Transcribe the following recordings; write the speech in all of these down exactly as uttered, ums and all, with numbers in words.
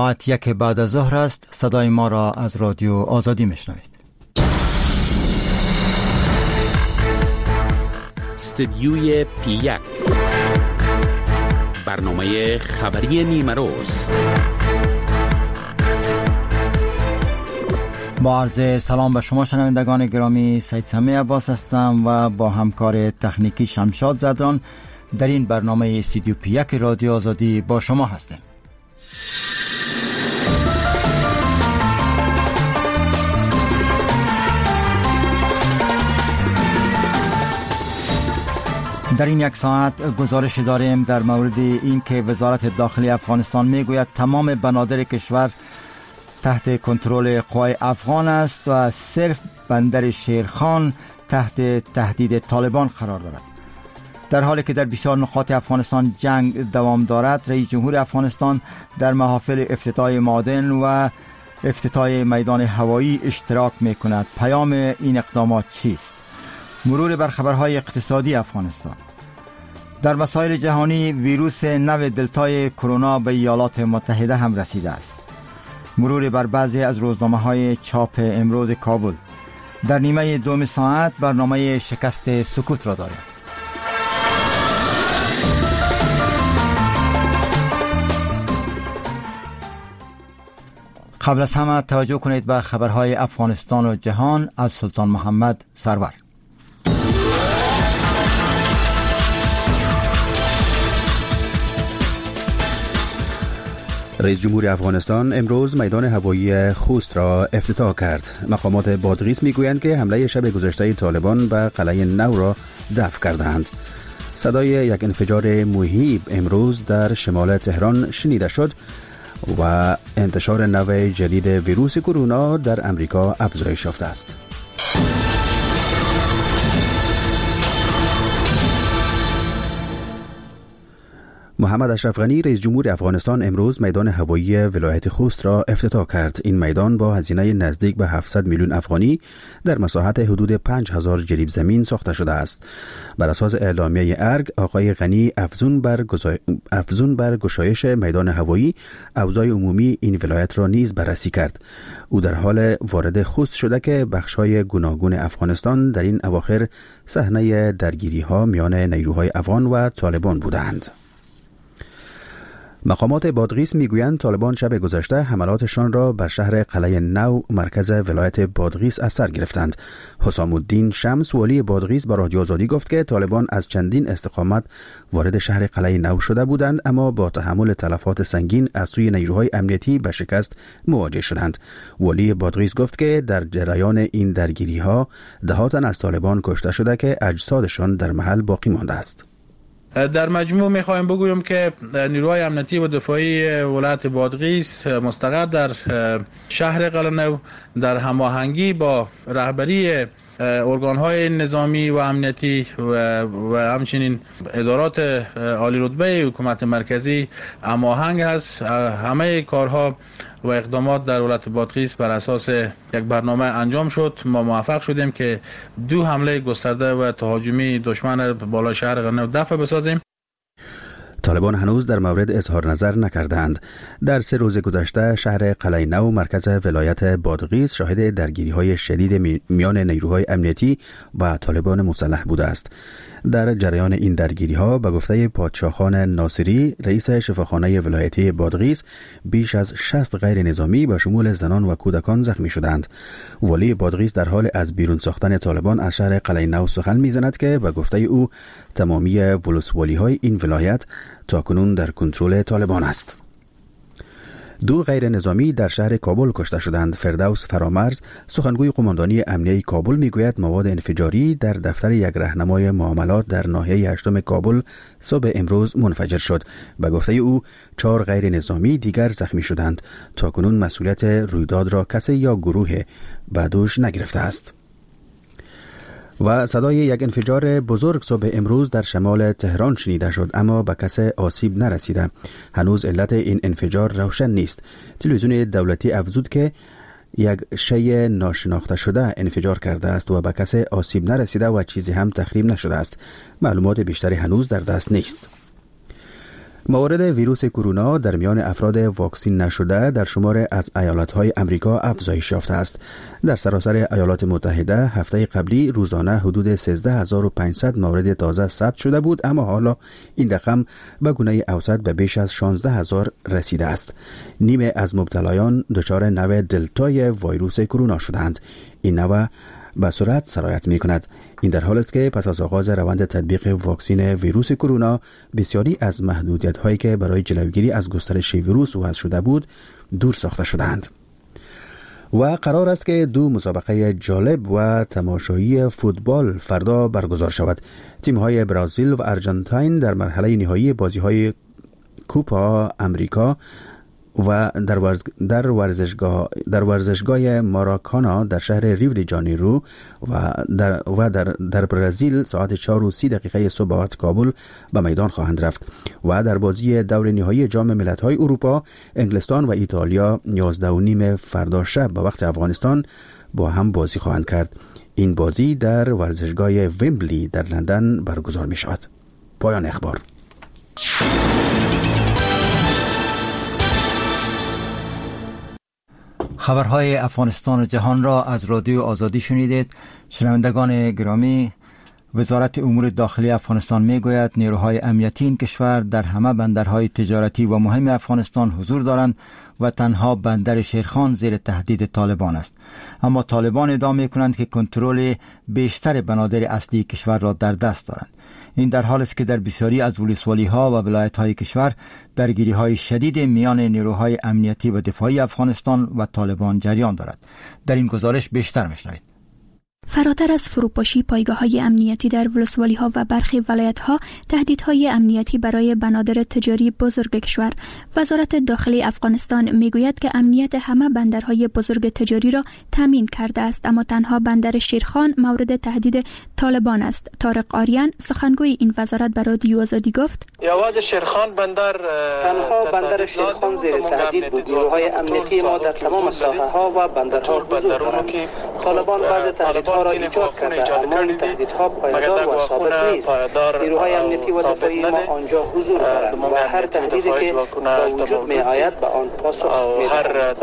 ساعت یک بعد از ظهر است. صدای ما را از رادیو آزادی میشنوید. استدیوی پی یک، برنامه خبری نیمه روز. با عرض سلام به شما شنوندگان گرامی، سید سمیع عباس هستم و با همکار تکنیکی شمشاد زدران در این برنامه استودیو پی یک رادیو آزادی با شما هستیم. در این یک ساعت گزارش داریم در مورد اینکه وزارت داخلی افغانستان میگوید تمام بنادر کشور تحت کنترل قوای افغان است و صرف بندر شیرخان تحت تهدید طالبان قرار دارد. در حالی که در بسیار نقاط افغانستان جنگ دوام دارد، رئیس جمهور افغانستان در محافل افتتاح معادن و افتتاح میدان هوایی اشتراک می کند. پیام این اقدامات چیست؟ مرور بر خبرهای اقتصادی افغانستان. در مسائل جهانی، ویروس نو دلتای کرونا به ایالات متحده هم رسیده است. مرور بر بعضی از روزنامه‌های چاپ امروز کابل. در نیمه دوم ساعت برنامه شکست سکوت را داریم. قبل از همه توجه کنید به خبرهای افغانستان و جهان از سلطان محمد سرور. رئیس جمهور افغانستان امروز میدان هوایی خوست را افتتاح کرد. مقامات بادغیس میگویند که حمله شب گذشته طالبان به قلعه نو را دفع کردند. صدای یک انفجار مهیب امروز در شمال تهران شنیده شد و انتشار نوع جدید ویروس کرونا در امریکا افزایش یافته است. محمد اشرف غنی رئیس جمهور افغانستان امروز میدان هوایی ولایت خوست را افتتاح کرد. این میدان با هزینه نزدیک به هفتصد میلیون افغانی در مساحت حدود پنج هزار جریب زمین ساخته شده است. بر اساس اعلامیه ارگ، آقای غنی افزون بر گزای... افزون بر گشایش میدان هوایی، اوضاع عمومی این ولایت را نیز بررسی کرد. او در حال وارد خوست شده که بخش‌های گوناگون افغانستان در این اواخر صحنه درگیری‌ها میان نیروهای افغان و طالبان بودند. مقامات بادغیس میگویند طالبان شب گذشته حملاتشان را بر شهر قلعه نو مرکز ولایت بادغیس از سر گرفتند. حسام الدین شمس والی بادغیس با رادیو آزادی گفت که طالبان از چندین استقامت وارد شهر قلعه نو شده بودند، اما با تحمل تلفات سنگین از سوی نیروهای امنیتی به شکست مواجه شدند. والی بادغیس گفت که در جریان این درگیری‌ها ده تن از طالبان کشته شده که اجسادشان در محل باقی مانده است. در مجموع میخوایم بگویم که نیروهای امنیتی و دفاعی ولایت بادغیس مستقر در شهر قلعه نو در هماهنگی با رهبری ارگان‌های نظامی و امنیتی و, و همچنین ادارات عالی رتبه حکومت مرکزی هماهنگ است. همه کارها و اقدامات در ولایت بادغیس بر اساس یک برنامه انجام شد. ما موفق شدیم که دو حمله گسترده و تهاجمی دشمن بالای شهر قلعه نو دفع بسازیم. طالبان هنوز در مورد اظهار نظر نکردند. در سه روز گذشته شهر قلعه نو مرکز ولایت بادغیس شاهد درگیری‌های شدید میان نیروهای امنیتی و طالبان مسلح بوده است. در جریان این درگیری‌ها به گفته پادشاهان ناصری رئیس شفاخانه ولایتی بادغیس بیش از شصت غیر نظامی به شمول زنان و کودکان زخمی شدند. والی بادغیس در حال از بیرون ساختن طالبان از شهر قلعه نو سخن می‌زند که به گفته او تمامی ولسوالی‌های این ولایت تاکنون در کنترل طالبان است. دو غیر نظامی در شهر کابل کشته شدند. فردوس فرامرز سخنگوی قماندانی امنیه کابل میگوید مواد انفجاری در دفتر یک راهنمای معاملات در ناحیه هشتم کابل صبح امروز منفجر شد. به گفته او چهار غیر نظامی دیگر زخمی شدند. تاکنون مسئولیت رویداد را کسی یا گروه به دوش نگرفته است. و صدای یک انفجار بزرگ صبح امروز در شمال تهران شنیده شد، اما به کس آسیب نرسیده. هنوز علت این انفجار روشن نیست. تلویزیون دولتی افزود که یک شی ناشناخته شده انفجار کرده است و به کس آسیب نرسیده و چیزی هم تخریب نشده است. معلومات بیشتری هنوز در دست نیست. موارد ویروس کرونا در میان افراد واکسین نشده در شمار از ایالت‌های امریکا افزایش یافته است. در سراسر ایالات متحده هفته قبلی روزانه حدود سیزده هزار و پانصد مورد تازه ثبت شده بود، اما حالا این رقم به گونه اوسط به بیش از شانزده هزار رسیده است. نیمه از مبتلایان دچار نوع دلتای ویروس کرونا شدند. این نوع به سرعت سرایت می کند. این در حال است که پس از آغاز روند تطبیق واکسین ویروس کرونا بسیاری از محدودیت هایی که برای جلوگیری از گسترش ویروس وضع شده بود دور ساخته شدند. و قرار است که دو مسابقه جالب و تماشایی فوتبال فردا برگزار شود. تیم های برزیل و ارژانتین در مرحله نهایی بازی های کوپا امریکا و در, ورز... در ورزشگاه در ورزشگاه ماراکانا در شهر ریو دی ژانیرو و در و در در برزیل ساعت چهار و سی دقیقه صبح وقت کابل به میدان خواهند رفت. و در بازی دور نهایی جام ملت‌های اروپا انگلستان و ایتالیا یازده و نیم فردا شب به وقت افغانستان با هم بازی خواهند کرد. این بازی در ورزشگاه ویمبلی در لندن برگزار می شود. پایان اخبار. خبرهای افغانستان و جهان را از رادیو آزادی شنیدید. شنوندگان گرامی، وزارت امور داخلی افغانستان میگوید نیروهای امنیتی این کشور در همه بندرهای تجارتی و مهم افغانستان حضور دارند و تنها بندر شیرخان زیر تهدید طالبان است. اما طالبان ادعا میکنند که کنترل بیشتر بنادر اصلی کشور را در دست دارند. این در حال است که در بسیاری از ولسوالی‌ها و ولایت‌های کشور درگیری‌های شدید میان نیروهای امنیتی و دفاعی افغانستان و طالبان جریان دارد. در این گزارش بیشتر میشنوید. فراتر از فروپاشی پایگاه‌های امنیتی در ولسوالی‌ها و برخی ولایت‌ها، تهدیدهای امنیتی برای بنادر تجاری بزرگ کشور. وزارت داخلی افغانستان میگوید که امنیت همه بندرهای بزرگ تجاری را تامین کرده است، اما تنها بندر شیرخان مورد تهدید طالبان است. طارق آریان، سخنگوی این وزارت، به رادیو آزادی گفت: شیرخان بندر تنها بندر شیرخان زیر تهدید بود. نیروهای امنیتی ما در تمام ساحه‌ها و بندرها حضور دارند. طالبان بعض تهدیدها را ایجاد کرده، اما این تهدیدها پایدار و ثابت نیست. نیروهای امنیتی و دفاعی ما آنجا حضور دارند و هر تهدیدی که به وجود می آید به آن پاسخ می‌دهند.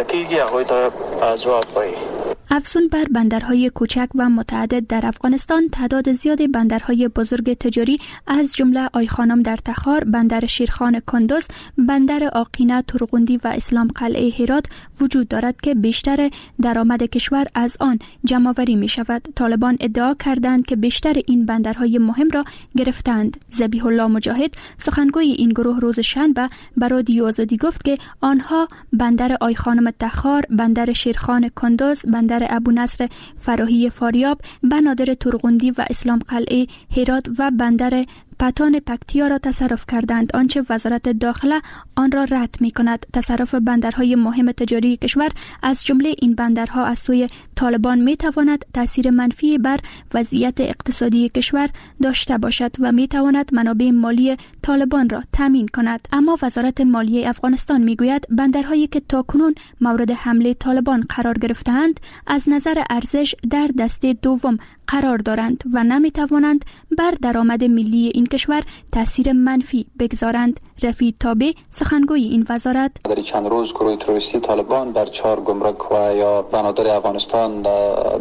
افزون بر بندرهای کوچک و متعدد در افغانستان، تعداد زیاد بندرهای بزرگ تجاری از جمله آیخانم در تخار، بندر شیرخان کندز، بندر آقینه ترغندی و اسلام قلعه هرات وجود دارد که بیشتر درآمد کشور از آن جمع‌آوری می شود. طالبان ادعا کردند که بیشتر این بندرهای مهم را گرفتند. ذبیح الله مجاهد، سخنگوی این گروه، روز شنبه به رادیو آزادی گفت که آنها بندر آیخانم تخار، بندر شیرخان کندز، بندر ابو نصر فراهی فاریاب، بنادر ترغندی و اسلام قلعه هرات و بندر پتان پکتیا را تصرف کردند، آنچه وزارت داخله آن را رد می کند. تصرف بندرهای مهم تجاری کشور از جمله این بندرها از سوی طالبان می تواند تاثیر منفی بر وضعیت اقتصادی کشور داشته باشد و می تواند منابع مالی طالبان را تامین کند. اما وزارت مالیه افغانستان می گوید بندرهایی که تاکنون مورد حمله طالبان قرار گرفتند از نظر ارزش در دسته دوم قرار دارند و نمی توانند بر درآمد ملی این کشور تاثیر منفی بگذارند. رفیع تابع، سخنگوی این وزارت: در چند روز گروه تروریستی طالبان در چهار گمرک و یا بنادر افغانستان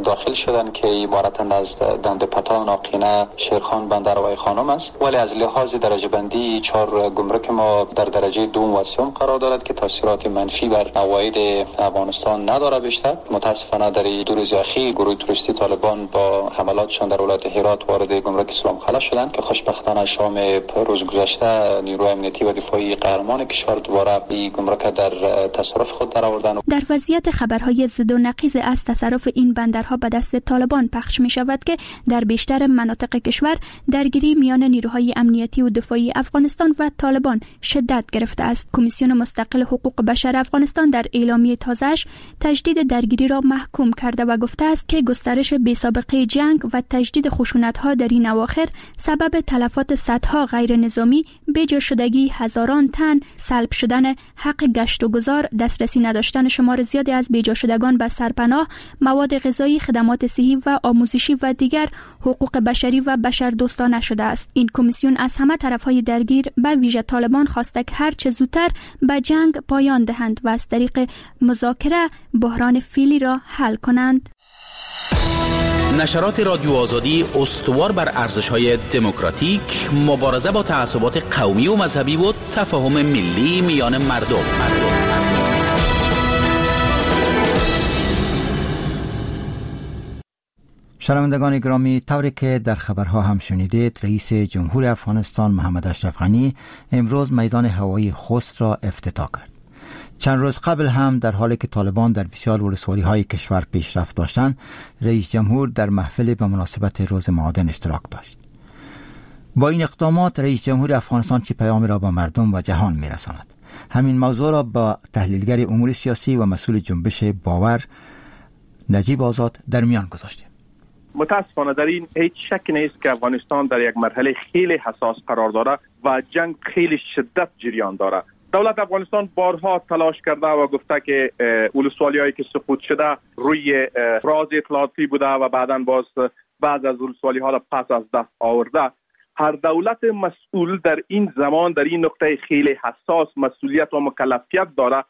داخل شدند که عبارتند از دند پتان، آقینه، شیرخان، بندر و خانم است، ولی از لحاظ درجه بندی چهار گمرک ما در درجه دوم و سوم قرار دارد که تاثیرات منفی بر عواید افغانستان ندارد. بیشتر متاسفانه در دو روز اخیر گروه تروریستی طالبان با حملاتشان در ولایت هرات وارد گمرک اسلام قلعه شدند که خوشبختانه شام روز گذشته نیروی امنیتی و دفاعی قهرمان کشور دوباره این گمرک در تصرف خود درآوردند. در وضعیت خبرهای ضد و نقیض از تصرف این بندرها به دست طالبان پخش می شود که در بیشتر مناطق کشور درگیری میان نیروهای امنیتی و دفاعی افغانستان و طالبان شدت گرفته است. کمیسیون مستقل حقوق بشر افغانستان در اعلامیه تازه‌اش تجدید درگیری را محکوم کرده و گفته است که گسترش بی سابقه جنگ جنگ و تجدید خشونت‌ها در این اواخر سبب تلفات صدها غیر نظامی، بیجا شدگی هزاران تن، سلب شدن حق گشت و گذار، دسترسی نداشتن شمار زیادی از بیجا شدگان به سرپناه، مواد غذایی، خدمات صحی و آموزشی و دیگر حقوق بشری و بشردوستانه شده است. این کمیسیون از همه طرف‌های درگیر به ویژه طالبان خواسته که هر چه زودتر به جنگ پایان دهند و از طریق مذاکره بحران فعلی را حل کنند. نشرات رادیو آزادی استوار بر ارزش‌های دموکراتیک، مبارزه با تعصبات قومی و مذهبی و تفاهم ملی میان مردم. شنوندگان گرامی، طوری که در خبرها هم شنیدید، رئیس جمهور افغانستان محمد اشرف غنی امروز میدان هوایی خوست را افتتاح کرد. چند روز قبل هم در حالی که طالبان در بسیار ولسوالی‌های کشور پیشرفت داشتند، رئیس جمهور در محفل به مناسبت روز معادن اشتراک داشت. با این اقدامات رئیس جمهور افغانستان چه پیامی را به مردم و جهان می‌رساند؟ همین موضوع را با تحلیلگر امور سیاسی و مسئول جنبش باور نجیب آزاد در میان گذاشتیم. متاسفانه در این هیچ شک نیست که افغانستان در یک مرحله خیلی حساس قرار داره و جنگ خیلی شدت جریان داره. دولت افغانستان بارها تلاش کرده و گفته که ولسوالی‌هایی که سقوط شده روی راز اطلاعاتی بوده و بعداً باز بعض از ولسوالی‌ها را پس از دست آورده. هر دولت مسئول در این زمان، در این نقطه خیلی حساس، مسئولیت و مکلفیت داره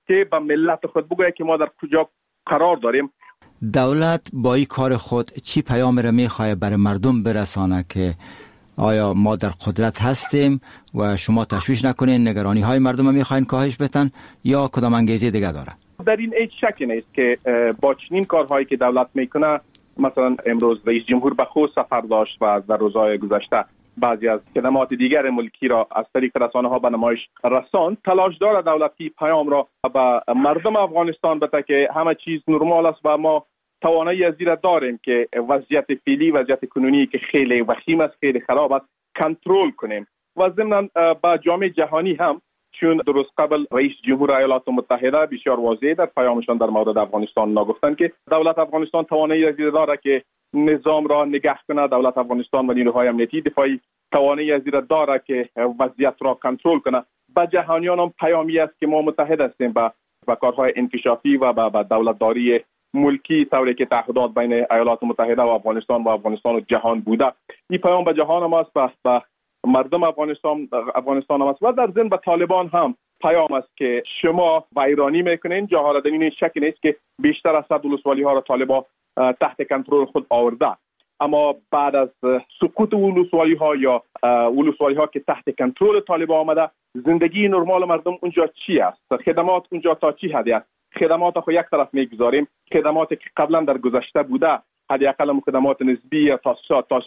که به ملت خود بگوید که ما در کجا قرار داریم. دولت با این کار خود چی پیام را میخواد برای مردم برسانه که آیا ما در قدرت هستیم و شما تشویش نکنین، نگرانی های مردم را میخواین کاهش بدن، یا کدام انگیزه دیگه داره؟ در این هیچ شکی نیست که با چنین کارهایی که دولت میکنه، مثلا امروز رئیس جمهور به خوست سفر داشت و در روزهای گذشته بعضی از خدمات دیگر ملکی را از طریق رسانه ها به نمایش رساند، تلاش داره دولت که پیام را به مردم افغانستان بده که همه چیز نرمال است و ما توانایی از این داریم که وضعیت فعلی، وضعیت کنونی که خیلی وخیم است، خیلی خراب است، کنترل کنیم. و ضمن به جامعه جهانی هم، چون درست قبل رئیس جمهور ایالات متحده بسیار واضح در پیامشان در مورد افغانستان نگفتند که دولت افغانستان توانایی از این داره که نظام را نگه کنه، دولت افغانستان و نیروهای امنیتی دفاعی توانایی از این داره که وضعیت را کنترل کنه. به جهانیان هم پیامی است که ما متحد هستیم به به کارهای انکشافی و به دولتداری ملکی، طوری که تعهدات بین ایالات متحده و افغانستان و افغانستان و جهان بوده. این پیام به جهان هم است، به مردم افغانستان افغانستان هم است و در ضمن به طالبان هم پیام است که شما ویرانی میکنین. جاها در این شک نیست که بیشتر از صد ولسوالی ها را طالبان تحت کنترل خود آورده، اما بعد از سقوط ولسوالی ها یا ولسوالی ها که تحت کنترل طالبان آمده، زندگی نرمال مردم اونجا چی است؟ خدمات اونجا تا چی حدی است؟ خدمات خو یک طرف میگذاریم، خدماتی که قبلا در گذشته بوده، حداقل خدمات نسبی یا تا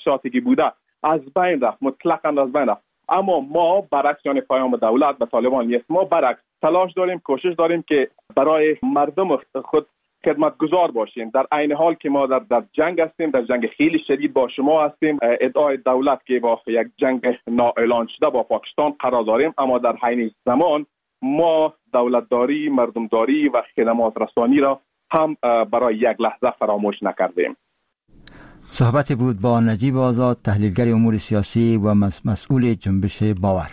تا که بوده از بین رفت، مطلقاً از بین رفت. اما ما برعکس، یعنی پیام دولت به طالبان نیست، ما برعکس تلاش داریم، کوشش داریم که برای مردم خود خدمتگزار باشیم. در عین حال که ما در در جنگ هستیم، در جنگ خیلی شدید با شما هستیم، ادعای دولت که با یک جنگ نااعلان شده با پاکستان قرار داریم، اما در عین زمان ما دولتداری، مردمداری و خدمات رسانی را هم برای یک لحظه فراموش نکردیم. صحبت بود با نجیب آزاد، تحلیلگر امور سیاسی و مسئول جنبش باور.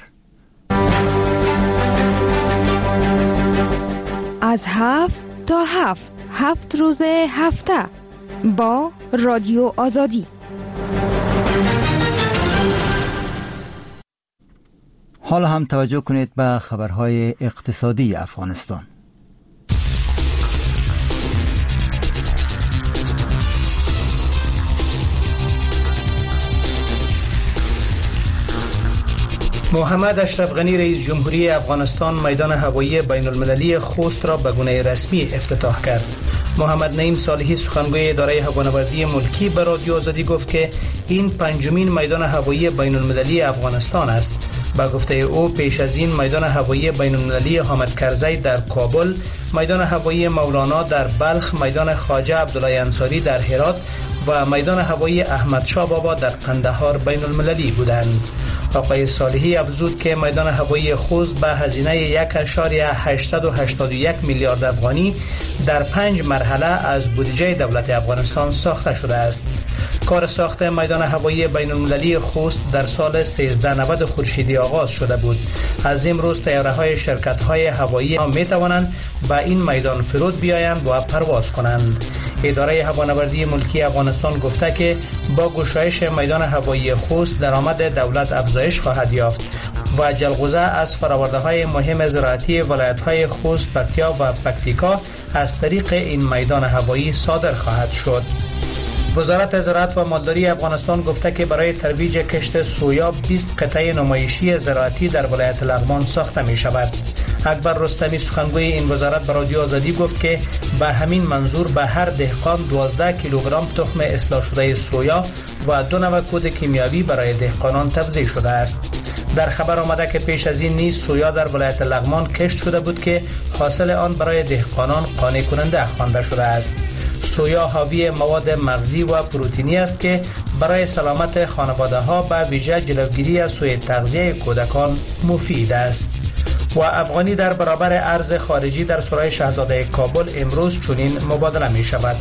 از هفت تا هفت، هفت روز هفته با رادیو آزادی. حالا هم توجه کنید به خبرهای اقتصادی افغانستان. محمد اشرف غنی رئیس جمهوری افغانستان میدان هوایی بین المللی خوست را به گونه رسمی افتتاح کرد. محمد نعیم صالحی سخنگوی اداره هوانوردی ملکی به رادیو آزادی گفت که این پنجمین میدان هوایی بین المللی افغانستان است. با گفته او پیش از این میدان هوایی بین المللی حامد کرزی در کابل، میدان هوایی مولانا در بلخ، میدان خواجه عبدالله انصاری در هرات و میدان هوایی احمد شاه بابا در قندهار بین المللی بودند. آقای صالحی افزود که میدان هوایی خوست به هزینه یک اعشاریه هشتصد و هشتاد و یک میلیارد افغانی در پنج مرحله از بودجه دولت افغانستان ساخته شده است. کار ساخت میدان هوایی بین المللی خوست در سال سیزده نود خورشیدی آغاز شده بود. از امروز طیاره های شرکت های هوایی می توانند به این میدان فرود بیایند و پرواز کنند. اداره هوانوردی ملکی افغانستان گفته که با گشایش میدان هوایی خوست درآمد دولت افزایش خواهد یافت و جلغوزه از فرآورده‌های مهم زراعتی ولایت‌های خوست، پکتیا و پکتیکا از طریق این میدان هوایی صادر خواهد شد. وزارت زراعت و مالداری افغانستان گفته که برای ترویج کشت سویا بیست قطعه نمایشی زراعتی در ولایت لغمان ساخته می شود. اکبر رستمی سخنگوی این وزارت به رادیو آزادی گفت که به همین منظور به هر دهقان دوازده کیلوگرم تخم اصلاح شده سویا و دو نوع کود کیمیاوی برای دهقانان توزیع شده است. در خبر آمده که پیش از این نیز سویا در ولایت لغمان کشت شده بود که حاصل آن برای دهقانان قانع کننده خوانده شده است. سویا حاوی مواد مغزی و پروتئینی است که برای سلامت خانواده ها به ویژه جلوگیری از سوء تغذیه کودکان مفید است. و افغانی در برابر ارز خارجی در سرای شهزاده کابل امروز چنین مبادله می شود: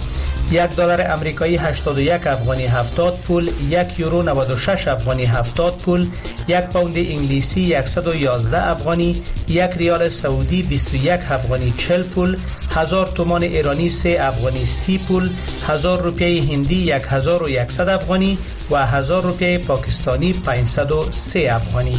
یک دلار امریکایی هشتاد و یک افغانی هفتاد پول، یک یورو نود و شش افغانی هفتاد پول، یک پوند انگلیسی صد و یازده افغانی، یک ریال سعودی بیست و یک افغانی چهل پول، هزار تومان ایرانی سه افغانی سی پول، هزار روپیه هندی هزار و صد افغانی و هزار روپیه پاکستانی پانصد و سه افغانی.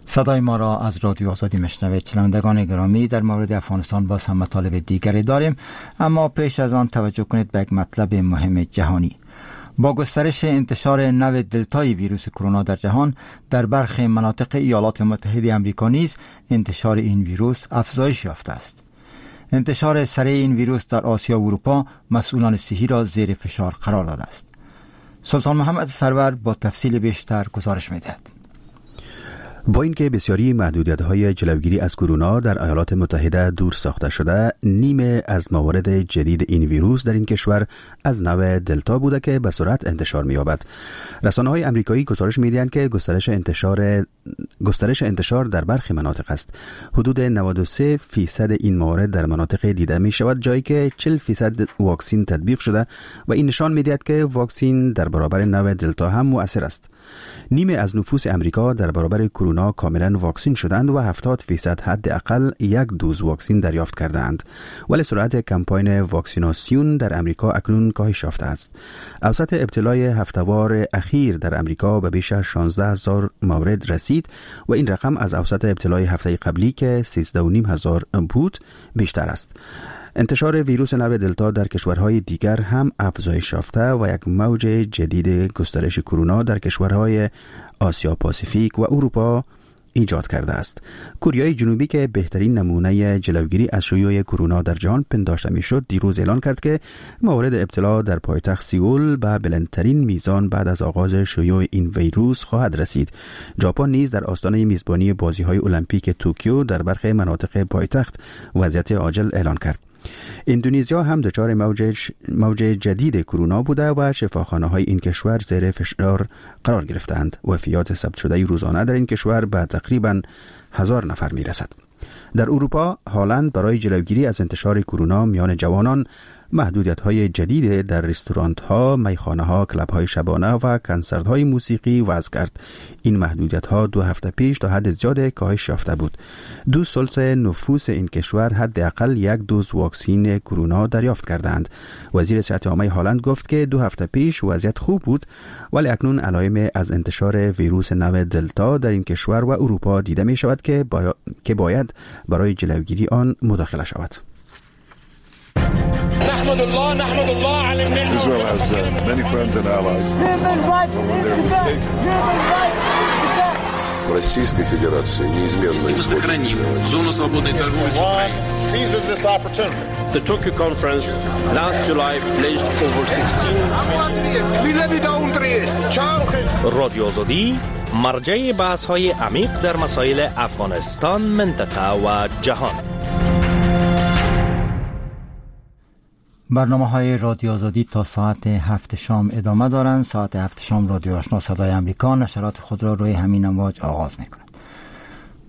صدای ما را از رادیو آزادی میشنوید. شنوندگان گرامی، در مورد افغانستان باز هم مطالب دیگری داریم، اما پیش از آن توجه کنید به یک مطلب مهم جهانی. با گسترش انتشار نوع دلتای ویروس کرونا در جهان، در برخی مناطق ایالات متحده آمریکا نیز انتشار این ویروس افزایش یافته است. انتشار سریع این ویروس در آسیا و اروپا مسئولان صحی را زیر فشار قرار داده است. سلطان محمد سرور با تفصیل بیشتر گزارش می‌دهد. با اینکه بسیاری محدودیت‌های جلوگیری از کرونا در ایالات متحده دور ساخته شده، نیمه از موارد جدید این ویروس در این کشور از نوع دلتا بوده که به سرعت انتشار می‌یابد. رسانه‌های آمریکایی گزارش می‌دهند که گسترش انتشار گسترش انتشار در برخی مناطق است. حدود نود و سه درصد این موارد در مناطق دیده می‌شود جایی که چهل درصد واکسن تطبیق شده و این نشان می‌دهد که واکسن در برابر نوع دلتا هم مؤثر است. نیمه از نفوس آمریکا در برابر کرونا کاملا واکسین شدند و هفتاد درصد حداقل یک دوز واکسن دریافت کردند، ولی سرعت کمپاین واکسیناسیون در امریکا اکنون کاهش یافته است. اوسط ابتلای هفته‌وار اخیر در امریکا به بیش از شانزده هزار مورد رسید و این رقم از اوسط ابتلای هفته قبلی که سیزده و نیم هزار بود بیشتر است. انتشار ویروس نوع دلتا در کشورهای دیگر هم افزایش یافته و یک موج جدید گسترش کرونا در کشورهای آسیا پاسیفیک و اروپا ایجاد کرده است. کوریای جنوبی که بهترین نمونه جلوگیری از شیوع کرونا در جهان پنداشته میشد، دیروز اعلان کرد که موارد ابتلا در پایتخت سئول به بلندترین میزان بعد از آغاز شیوع این ویروس خواهد رسید. ژاپن نیز در آستانه میزبانی بازی‌های المپیک توکیو در برخی مناطق پایتخت وضعیت عاجل اعلان کرد. اندونزیا هم دچار موج موج جدید کرونا بوده و شفاخانه‌های این کشور زیر فشار قرار گرفتند. وفیات ثبت شده روزانه در این کشور به تقریباً هزار نفر میرسد. در اروپا، هالند برای جلوگیری از انتشار کرونا میان جوانان محدودیت‌های جدید در رستوران‌ها، میخانه‌ها، کلاب‌های شبانه و کنسرت‌های موسیقی وضع کرد. این محدودیت‌ها دو هفته پیش تا حد زیاد کاهش یافته بود. دو ثلث نفوس این کشور حداقل یک دوز واکسن کرونا دریافت کردند. وزیر صحت عامه هالند گفت که دو هفته پیش وضعیت خوب بود، ولی اکنون علائم از انتشار ویروس نوع دلتا در این کشور و اروپا دیده می‌شود که با... که باید برای جلوگیری آن مداخله شود. Israel has uh, many friends and allies. But when they're mistaken, Российской Федерации неизменно исходит. Зону свободной торговли с Украиной. Seizes this opportunity. The Tokyo conference last July pledged over sixteen. رادیو آزادی، مرجع بحث‌های عمیق در مسائل افغانستان، منطقه و جهان. برنامه های رادیو آزادی تا ساعت هفت شام ادامه دارند. ساعت هفت شام رادیو آشنا صدای امریکا نشرات خود را روی همین امواج آغاز می کند.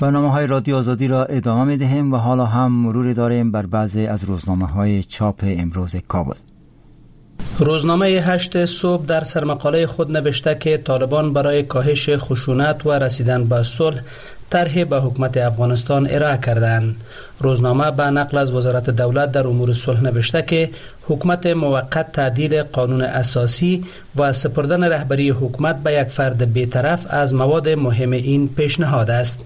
برنامه های رادیو آزادی را ادامه می دهیم و حالا هم مروری داریم بر بعضی از روزنامه های چاپ امروز کابل. روزنامه هشت صبح در سرمقاله خود نوشته که طالبان برای کاهش خشونت و رسیدن به صلح طرح به حکومت افغانستان ارائه کردند. روزنامه به نقل از وزارت دولت در امور صلح نوشته که حکومت موقت تعدیل قانون اساسی و سپردن رهبری حکومت به یک فرد بی‌طرف از مواد مهم این پیشنهاد است.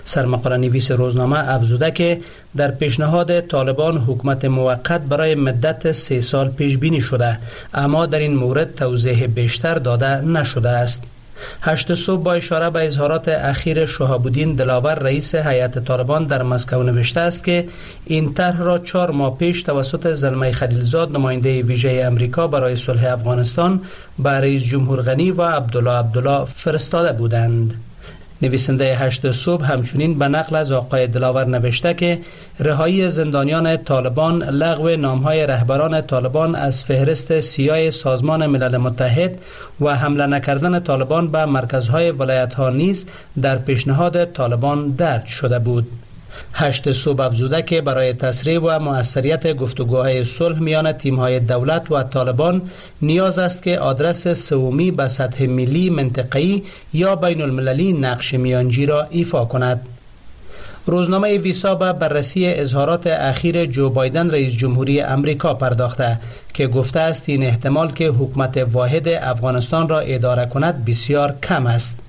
سرمقاله نویس روزنامه افزوده که در پیشنهاد طالبان حکومت موقت برای مدت سه سال پیش بینی شده، اما در این مورد توضیح بیشتر داده نشده است. هشت صبح با اشاره به اظهارات اخیر شهاب الدین دلاور رئیس هیئت طالبان در مسکو نوشته است که این طرح را چهار ماه پیش توسط زلمی خلیلزاد نماینده ویژه امریکا برای صلح افغانستان به رئیس جمهور غنی و عبدالله عبدالله فرستاده بودند. نویسنده هشت صبح همچنین به نقل از آقای دلاور نوشته که رهایی زندانیان طالبان، لغو نامهای رهبران طالبان از فهرست سیاه سازمان ملل متحد و حمله نکردن طالبان به مرکزهای ولایت‌ها نیز در پیشنهاد طالبان درج شده بود. هشت صبح افزوده که برای تسریع و مؤثریت گفتگوهای صلح میان تیم‌های دولت و طالبان نیاز است که آدرس سومی به سطح ملی، منطقه‌ای یا بین المللی نقش میانجی را ایفا کند. روزنامه ویسا به بررسی اظهارات اخیر جو بایدن رئیس جمهوری امریکا پرداخته که گفته است این احتمال که حکومت واحد افغانستان را اداره کند بسیار کم است.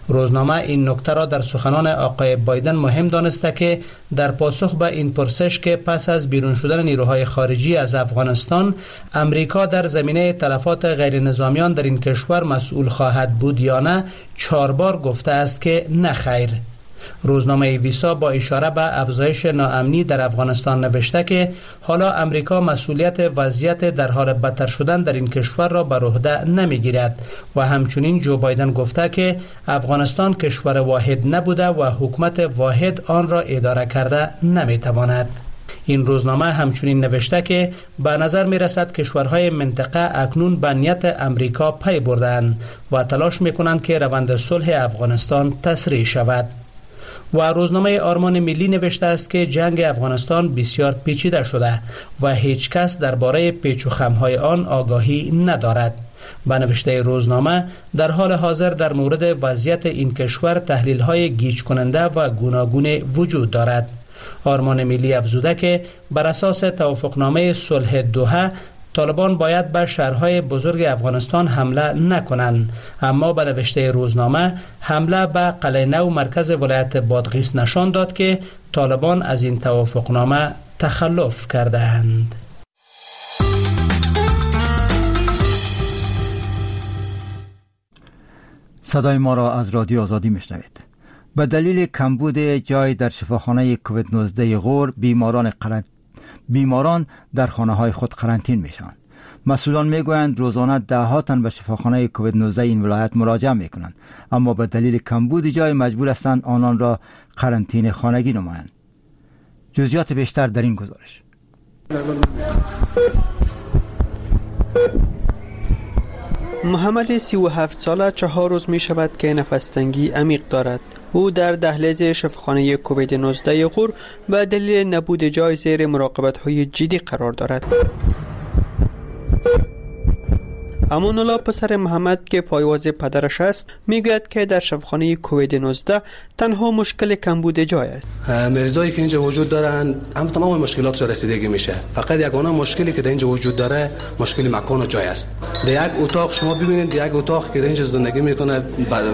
روزنامه این نکته را در سخنان آقای بایدن مهم دانسته که در پاسخ به این پرسش که پس از بیرون شدن نیروهای خارجی از افغانستان امریکا در زمینه تلفات غیر نظامیان در این کشور مسئول خواهد بود یا نه، چهار بار گفته است که نه خیر. روزنامه ویسا با اشاره به افزایش ناامنی در افغانستان نوشته که حالا امریکا مسئولیت وضعیت در حال بدتر شدن در این کشور را بر عهده نمیگیرد و همچنین جو بایدن گفته که افغانستان کشور واحد نبوده و حکومت واحد آن را اداره کرده نمیتواند. این روزنامه همچنین نوشته که به نظر می رسد کشورهای منطقه اکنون به نیت امریکا پی بردند و تلاش می کنند که روند صلح افغانستان تسریع شود. و روزنامه آرمان ملی نوشته است که جنگ افغانستان بسیار پیچیده شده و هیچ کس درباره پیچ و خم‌های آن آگاهی ندارد. به نوشته روزنامه در حال حاضر در مورد وضعیت این کشور تحلیل‌های گیج کننده و گوناگون وجود دارد. آرمان ملی افزوده که بر اساس توافقنامه صلح دوحه طالبان باید به شهرهای بزرگ افغانستان حمله نکنند، اما به نوشته روزنامه حمله به قلعه نو مرکز ولایت بادغیس نشان داد که طالبان از این توافقنامه تخلف کرده‌اند. صدای ما را از رادیو آزادی میشنوید. به دلیل کمبود جای در شفاخانه کووید نوزده غور، بیماران قرن... بیماران در خانه های خود قرنطین میشوند. مسئولان میگویند روزانه ده ها تن به شفاخانه کووید نوزده این ولایت مراجعه میکنند، اما به دلیل کمبود جای مجبور هستند آنان را قرنطین خانگی نمایند. جزئیات بیشتر در این گزارش. محمد سی و هفت ساله چهار روز می شود که نفس تنگی عمیق دارد. او در دهلیز شفاخانه کووید نوزده غور به دلیل نبود جای زیر مراقبت های جدی قرار دارد. امان الله پسر محمد که پایواز پدرش است میگوید که در شفاخانه کووید نوزده تنها مشکل کمبود جای است. مریضایی که اینجا وجود دارن هم تمام مشکلاتش رسیدگی میشه. فقط یگانه مشکلی که در اینجا وجود داره مشکل مکان و جای است. در یک اتاق شما ببینید، در یک اتاق که در اینجا زندگی میکنه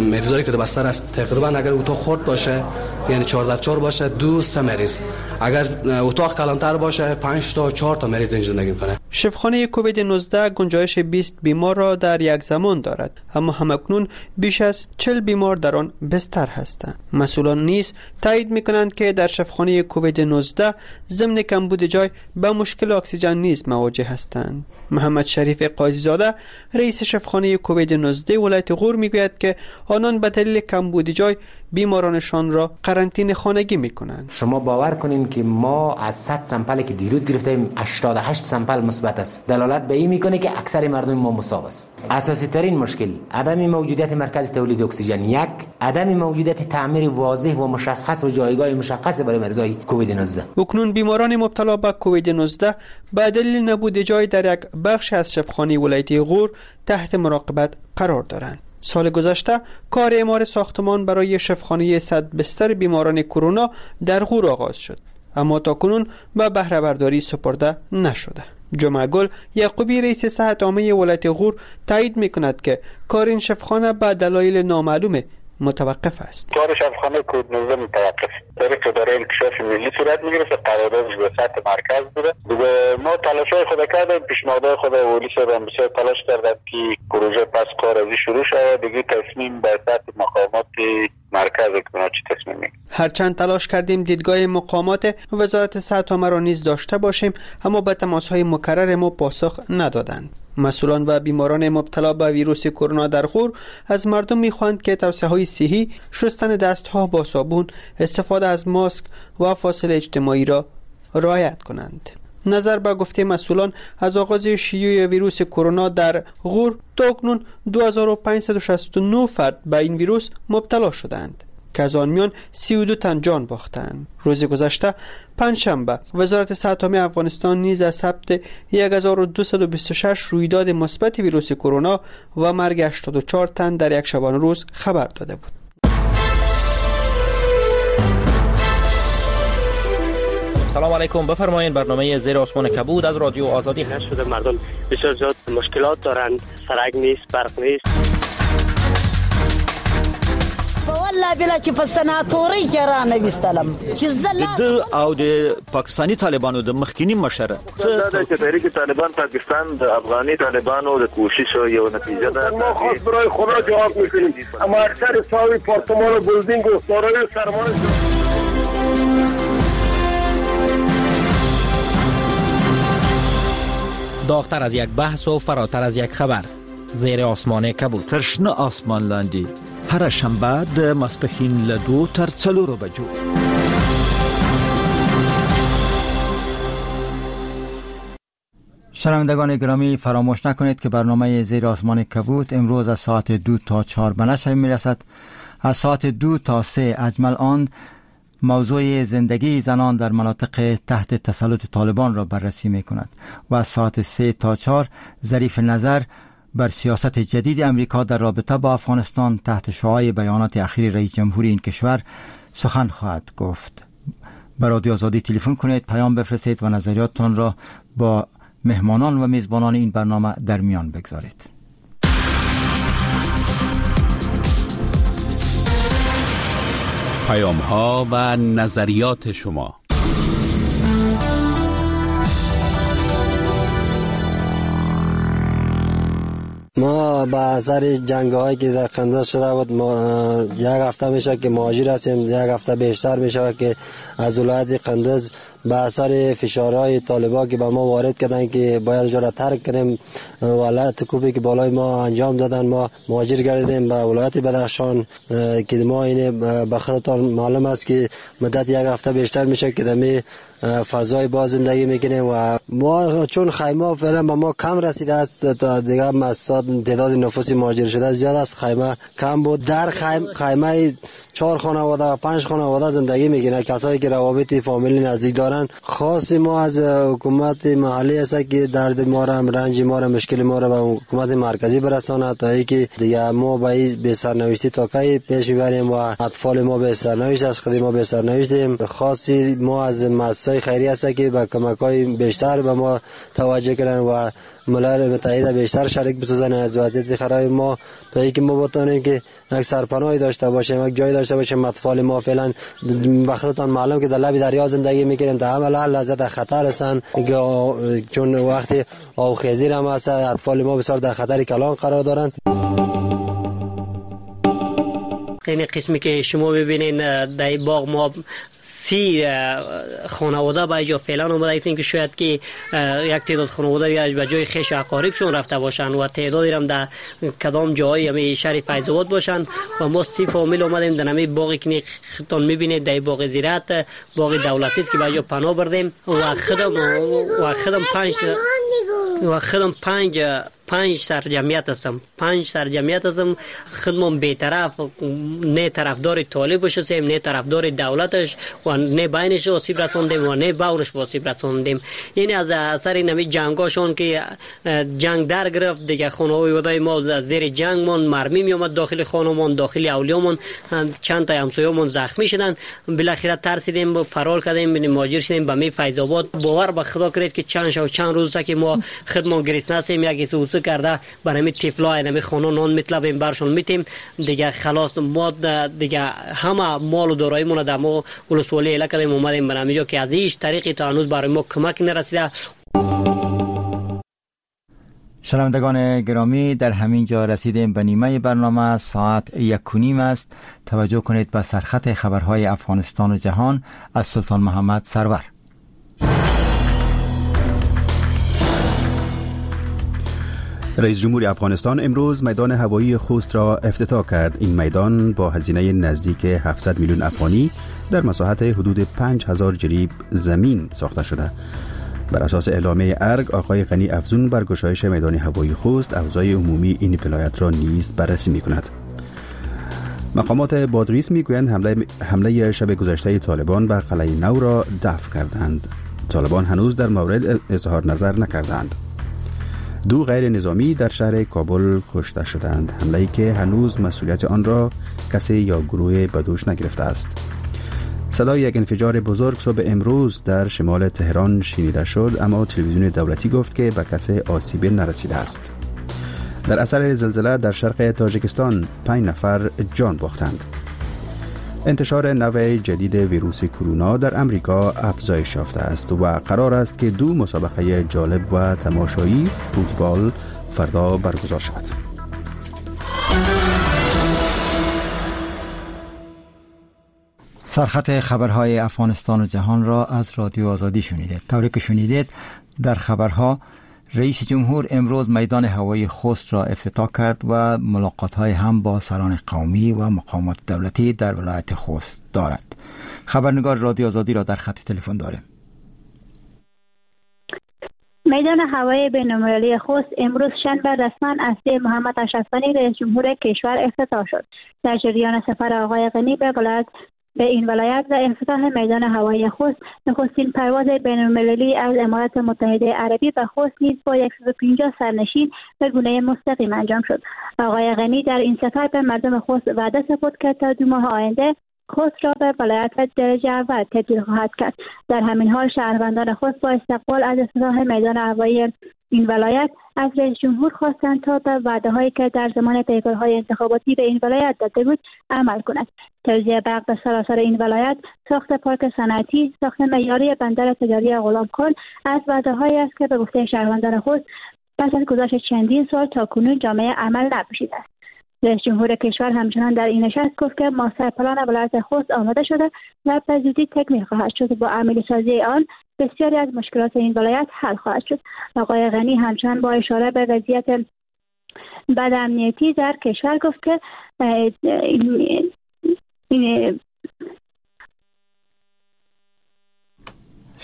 مریضایی که در بستر است، تقریبا اگر اتاق خرد باشه یعنی چهار در چهار باشه دو سه مریض، اگر اتاق کلانتر باشه پنج تا چهار تا مریض اینجا زندگی میکنه. شفاخانه کووید نوزده گنجایش بیست بیمار را در یک زمان دارد، اما همکنون بیش از چهل بیمار در آن بستر هستند. مسئولان نیز تایید میکنند که در شفاخانه کووید نوزده ضمن کمبود جای به مشکل اکسیژن نیز مواجه هستند. محمد شریف قاضی‌زاده رئیس شفاخانه کووید نوزده ولایت غور میگوید که آنان به دلیل کمبود جای بیمارانشان را قرنطینه خانگی میکنند. شما باور کنین که ما از صد sample که دیروز گرفتیم هشتاد و هشت sample مثبت است. دلالت به این میکنه که اکثر مردم ما مصاب است. اساسی ترین مشکل عدم موجودیت مرکز تولید اکسیژن یک، عدم موجودیت تعمیر واضح و مشخص و جایگاه مشخص برای مریضای کووید نوزده. اکنون بیماران مبتلا به کووید نوزده به دلیل نبود جای در یک بخش از شفاخانه ولایتی غور تحت مراقبت قرار دارند. سال گذشته کار اعمار ساختمان برای شفاخانه صد بستر بیماران کرونا در غور آغاز شد، اما تاکنون به بهره برداری سپرده نشده. جمعه گل یعقوبی رئیس صحت عامه ولایت غور تایید میکند که کار این شفاخانه به دلایل نامعلوم متوقف است. کار شفاخانه کووید نوزده متوقف طریق اداره انکشاف ملی صورت میگیره، قراردادش به سطح مرکز بوده. دیگه ما تلاش‌های خود کردیم، پیشنهادهای خود ولی صاحب بسیار تلاش کردند که پروژه پس کار ازی شروع شود. دیگه تصمیم به سطح مقامات مرکز که چه تصمیم میگیره. هرچند تلاش کردیم دیدگاه مقامات وزارت صحت عامه را نیز داشته باشیم، اما به تماس‌های مکرر ما پاسخ ندادند. مسئولان و بیماران مبتلا به ویروس کرونا در غور از مردم میخواهند که توصیه‌های صحی، شستن دستها با صابون، استفاده از ماسک و فاصله اجتماعی را رعایت کنند. نظر به گفته مسئولان، از آغاز شیوع ویروس کرونا در غور تا اکنون دو هزار و پانصد و شصت و نه فرد به این ویروس مبتلا شدند که از آن میان سی و دو تن جان باختند. روز گذشته پنجشنبه وزارت صحت عامه افغانستان نیز از ثبت هزار و دویست و بیست و شش رویداد مثبت ویروس کرونا و مرگ هشتاد و چهار تن در یک شبانه روز خبر داده بود. سلام علیکم، بفرمایید برنامه زیر آسمان کبود از رادیو آزادی هست. شده مردم بسیار زیاد مشکلات دارند، سرک نیست، برق نیست. والله بلا چې په سناتوري کې را نه وستلم چې زله د او د پاکستاني طالبانو د مخکینی مشر څه د تحریک طالبان پاکستان د افغاني طالبانو د کوشش یو نتیجه ده. ما خواست برای خدا جواب میکنیم، اما اکثر ساوی پارتمان و بلدینگ و دارای سرمایه. داغ‌تر از یک بحث و فراتر از یک خبر، زیر آسمان کبود. تر شنه آسمان لاندې هره شنبه د ماسپښین له دوو تر څلورو بجو. شنوندگان گرامی، فراموش نکنید که برنامه زیر آسمان کبود امروز از ساعت دو تا چهار به نشر میرسد. از ساعت دو تا سه اجمل آن موضوع زندگی زنان در مناطق تحت تسلط طالبان را بررسی می کند و از ساعت سه تا چهار ظریف نظر بر سیاست جدید امریکا در رابطه با افغانستان تحت شعاع بیانات اخیر رئیس جمهوری این کشور سخن خواهد گفت. به رادیو آزادی تلفن کنید، پیام بفرستید و نظریاتتان را با مهمانان و میزبانان این برنامه در میان بگذارید. پیام ها و نظریات شما. ما به اثر جنگ هایی که در قندوز شده بود، ما یک هفته میشه که مهاجر هستیم، یک هفته بیشتر میشه که از ولایت قندوز به اثر فشارهای طالبا که به ما وارد کردن که باید اونجا را ترک کنیم، ولایت کوبی که بالای ما انجام دادن، ما مهاجر گردیدیم به ولایت بدخشان که ما اینه به خودتان معلوم است که مدت یک هفته بیشتر میشه که دمی فضای باز زندگی میکنیم و ما چون خیمه فعلا به ما کم رسیده است، تا دیگه مساد تعداد نفوس مهاجر شده زیاد است، خیمه کم بود. در خیمه خیمه چهار خانواده و پنج خانواده زندگی میکنه، کسایی که روابط فامیلی نزدیک دارن. خاص ما از حکومت محلی است که درد ما را، رنج ما را، مشکل ما را به حکومت مرکزی برسانه تا اینکه دیگه ما به به سرنوشتی تا کی پیش میبریم و اطفال ما به سرنوشت از خود ما به سرنوشتیم. خاصی ما از مؤسسه خیریه است که به کمک‌های بیشتر به ما توجه کنن و ملل متحد بیشتر شریک بسازن از وضعیت خراب ما تا اینکه ما بتونیم که یک سرپناهی داشته باشیم، یک جای داشته باشیم. اطفال ما فعلا به خودتان معلوم که در لب دریا زندگی میکنیم، تا همه لحظه در خطر هستن، چون وقتی آبخیزی هم هست اطفال ما بسیار در خطر کلان قرار دارن. این قسمی که شما ببینین در باغ ما سی خانواده به اینجا فعلا اومده هستیم که شاید که یک تعداد خانواده به جای خیش و اقاربشون رفته باشن و تعدادی هم در کدام جایی همی شهر فیض آباد باشن و ما سی فامیل اومدیم در همی باغی که خودتون میبینید، در باغ زیرت، باغ دولتی است که به اینجا پناه بردیم و خودم و خودم پنج و خودم پنج پنج سر جمعیت هستم پنج سر جمعیت هستم. خودمون بی‌طرف، نه طرفدار طالب هستیم، نه طرفدار دولتش و نه بینش آسیب رسوندیم و نه باورش آسیب رسوندیم. یعنی از اثر این همی جنگاشون که جنگ در گرفت دیگه، خانواده ما زیر جنگ مون مرمی می اومد داخل خانمون، داخل اولیامون، چند تا همسایه‌مون زخمی شدن. بالاخره ترسیدیم و فرار کردیم، مهاجر شدیم به می فیض آباد. باور به خدا کنید که چند شو چند روز که ما خودمون گرسنه هستیم، یک سوسه کرده برای می تفلا اینمی خانه نان میطلبیم برشون میتیم دیگه. خلاص ما دیگه همه مال و داراییمون در ما ولسوالی اله کردیم، اومدیم برای اینجا که از هیچ طریقی تا هنوز برای ما کمک نرسیده. شنوندگان گرامی، در همین جا رسیدیم به نیمه برنامه. ساعت یک و نیم است. توجه کنید به سرخط خبرهای افغانستان و جهان از سلطان محمد سرور. رئیس جمهور افغانستان امروز میدان هوایی خوست را افتتاح کرد. این میدان با هزینه نزدیک هفتصد میلیون افغانی در مساحت حدود پنج هزار جریب زمین ساخته شده. بر اساس اعلامیه ارگ، آقای غنی افزون بر گشایش میدان هوایی خوست اوضاع عمومی این ولایت را نیز بررسی می‌کند. مقامات بادغیس می‌گویند حمله حمله شب گذشته طالبان به قلعه نو را دفع کردند. طالبان هنوز در مورد اظهار نظر نکردند. دو غیر نظامی در شهر کابل کشته شدند، حمله‌ای که هنوز مسئولیت آن را کسی یا گروه به دوش نگرفته است. صدای یک انفجار بزرگ صبح امروز در شمال تهران شنیده شد، اما تلویزیون دولتی گفت که به کسی آسیب نرسیده است. در اثر زلزله در شرق تاجیکستان پنج نفر جان باختند. انتشار نوع جدید ویروس کرونا در امریکا افزایش یافته است و قرار است که دو مسابقه جالب و تماشایی فوتبال فردا برگزار شود. سرخط خبرهای افغانستان و جهان را از رادیو آزادی شنیدید. طوری که شنیدید در خبرها، رئیس جمهور امروز میدان هوایی خوست را افتتاح کرد و ملاقات‌های هم با سران قومی و مقامات دولتی در ولایت خوست دارد. خبرنگار رادیو آزادی را در خط تلفن داریم. میدان هوایی بین‌المللی خوست امروز شنبه رسما از سوی محمد اشرف غنی رئیس جمهور کشور افتتاح شد. در جریان سفر آقای غنی به ولایت به این ولایت و افتتاح میدان هوایی خوست، نخستین پرواز بین‌المللی از امارات متحده عربی به خوست نیز با صد و پنجاه سرنشین به گونه مستقیم انجام شد. آقای غنی در این سفر به مردم خوست وعده سپرد که تا دو ماه آینده خوست را به ولایت درجه اول تبدیل خواهد کرد. در همین حال شهروندان خوست با استقبال از افتتاح میدان هوایی این ولایت از رئیس جمهور خواستند تا به وعده‌هایی که در زمان پیکارهای انتخاباتی به این ولایت داده بود عمل کند. توزیع برق به سراسر این ولایت، ساخت پارک صنعتی، ساخت معیاری بندر تجاری غلامخان از وعده‌هایی است که به گفته شهروندان خوست پس از گذشت چندین سال تا کنون جامعه عمل نپوشیده است. رئیس جمهور کشور همچنان در این نشست گفت که ماستر پلان ولایت خوست آماده شده و به زودی تکمیل خواهد شد. با عملی سازی آن بسیاری از مشکلات این ولایت حل خواهد شد. آقای غنی همچنان با اشاره به وضعیت بد امنیتی در کشور گفت که این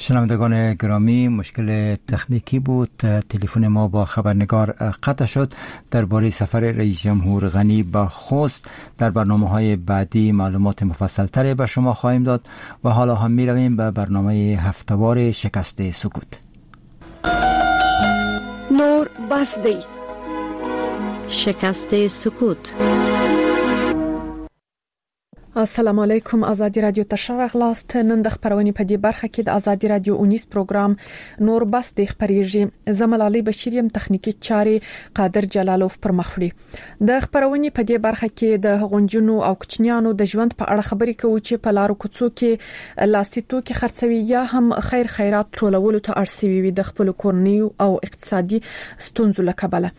شنوندگان گرامی، مشکل تکنیکی بود، تلفن ما با خبرنگار قطع شد. درباره سفر رئیس جمهور غنی به خوست در برنامه‌های بعدی معلومات مفصل‌تری به شما خواهیم داد و حالا هم می‌رویم به برنامه هفته‌وار شکست سکوت. نور بس دی شکست سکوت. السلام علیکم، ازادي رادیو ته ښه راغلاست. نن د خپرونې په دې برخه کې د ازادي رادیو اونیز پروګرام نور بس دی خپرېږي. زه ملالۍ بشیر یم، تخنیکي چارې قادر جلالوف پر مخ وړي. د خپرونې په دې برخه کې د هغو نجونو او کوچنیانو د ژوند په اړه خبرې کوو چې په لارو کوڅو کې لاسي توکي خرڅوي یا هم خیر خیرات ټولولو ته اړ سوي وي د خپلو کورنیو او اقتصادي ستونزو له کبله.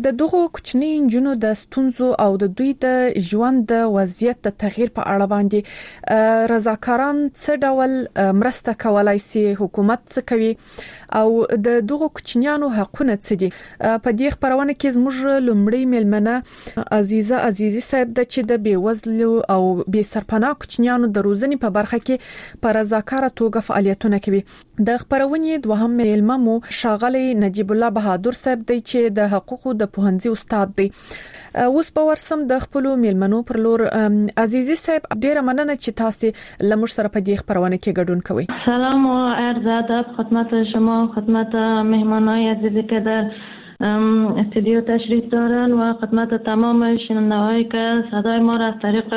د دغو کوچنیو نجونو د ستونزو او د دوی د ژوند د وضعیت د تغییر بهیر په اړه باندې رضاکاران څه ډول مرسته کولای شي، حکومت څه کوي او د دغو کوچنیانو حقونه څه دي. په دې خبرونه کې زموږ لومړی میلمنه عزیزه عزیزي صاحب ده چې د بېوزلو او بې سرپناه کوچنیانو د روزنې په برخه کې په رضاکاره توګه فعالیتونه کوي. د خبرونې دوهم میلمه مو ښاغلی نجیب الله بهادر صاحب دی چې د حقوقو د پوهنځي استاد دی. اوس به ورسم د خپلو میلمنو پر لور. عزیزي صاحب، ډیره مننه چې تاسو له موږ سره په دې خبرونه کې ګډون کوئ. سلام و عرض ادب خدمت شما، خدمت مهمانای عزیزی که در استودیو تشریف دارن و خدمت تمام شنونده‌هایی که صدای ما را از طریق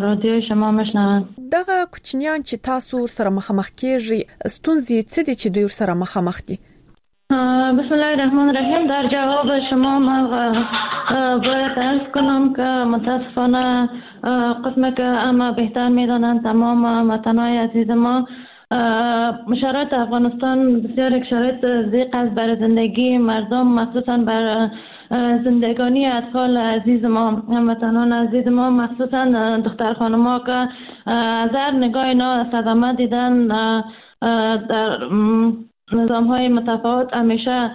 رادیو شما میشنوند. دغه کوچنیان چې تاسو سره مخامخ کیږئ، ستونزې څه دي چې دوی سره مخامخ دي؟ بسم الله الرحمن الرحیم. در جواب شما من باید عرض کنم که متاسفانه قسم که اما بهتر میدانند تمام وطنهای عزیز ما، شرایط افغانستان بسیار یک شرایط ضیق است برای زندگی مردم، مخصوصا بر زندگانی اطفال عزیز ما، هموطنان عزیز ما، مخصوصا دختر خانم‌ها که از هر نگاه اینا صدمه دیدن در نظام های متفاوت. همیشه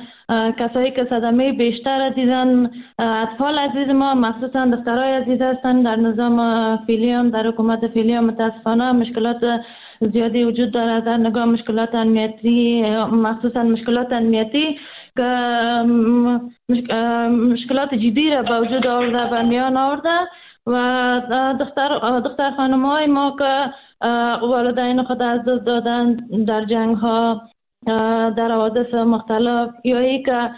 کسایی که صدمه بیشتر دیدن اطفال عزیز ما، مخصوصا دخترای عزیز هستند. در نظام فعلی هم، در حکومت فعلی هم متاسفانه مشکلات زیادی وجود دارد در نگاه مشکلات امنیتی، مخصوصا مشکلات امنیتی که مشکلات جدی را به وجود آورده و میان آورده و دختر دختر خانم های ما که والدین خود از دست دادن در جنگ ها، در حوادث مختلف، یا ای که